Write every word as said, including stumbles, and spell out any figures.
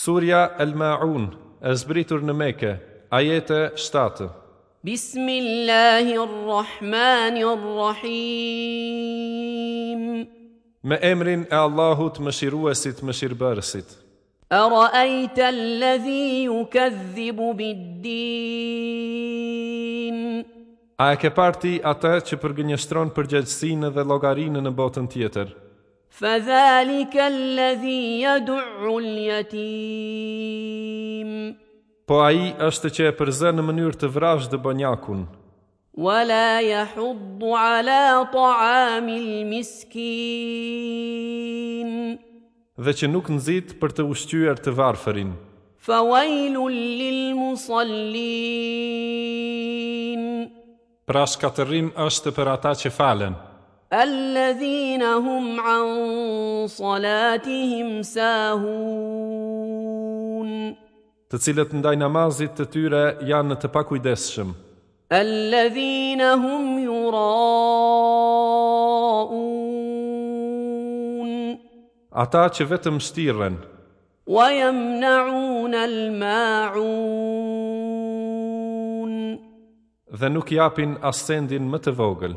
Surja El-Maun, e zbritur në Mekë, ajete shtatë. بسم الله الرحمن الرحيم Me emrin e Allahut, mëshiruesit, mëshirbërësit. أرأيت الذي يكذب بالدين A e ke parë ti atë që përgënjeshtron përgjegjësinë dhe llogarinë në botën tjetër? فذلك الذي يدع اليتيم Po ai është që e përzë në mënyrë të vrazhdë bonjakun ولا يحض على طعام المسكين dhe që nuk nxit për të ushqyer të varfërin. فويل للمصلين Pra shkatërrim është për ata që falen, الذين هم عن صلاتهم ساهون të cilët ndaj namazit të tyre janë të pakujdesshëm, الذين هم يراءون ata që vetëm shtirren ويمنعون الماعون dhe nuk japin as sendin më të vogël.